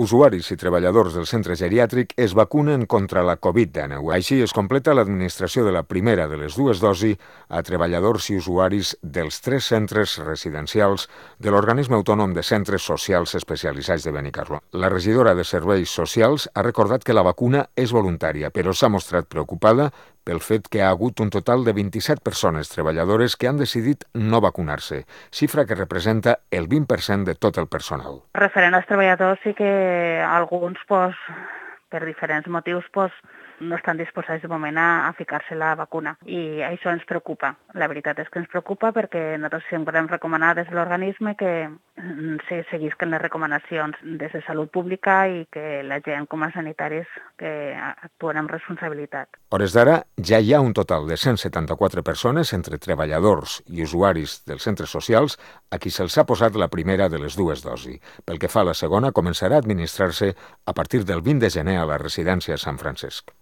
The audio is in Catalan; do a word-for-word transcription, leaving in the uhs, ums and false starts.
Usuaris i treballadors del centre geriàtric es vacunen contra la covid dinou. Així es completa l'administració de la primera de les dues dosis a treballadors i usuaris dels tres centres residencials de l'Organisme Autònom de Centres Socials Especialitzats de Benicarló. La regidora de Serveis Socials ha recordat que la vacuna és voluntària, però s'ha mostrat preocupada pel fet que ha hagut un total de vint-i-set persones treballadores que han decidit no vacunar-se, xifra que representa el vint per cent de tot el personal. Referent als treballadors, sí que alguns, pues, per diferents motius, pues, no estan disposats de moment a, a ficar-se la vacuna. I això ens preocupa. La veritat és que ens preocupa perquè nosaltres sempre hem recomanat des de l'organisme que se seguisquen les recomanacions des de salut pública i que la gent com a sanitaris que actuen amb responsabilitat. A hores d'ara ja hi ha un total de cent setanta-quatre persones entre treballadors i usuaris dels centres socials a qui se'ls ha posat la primera de les dues dosis. Pel que fa a la segona, començarà a administrar-se a partir del vint de gener a la residència Sant Francesc.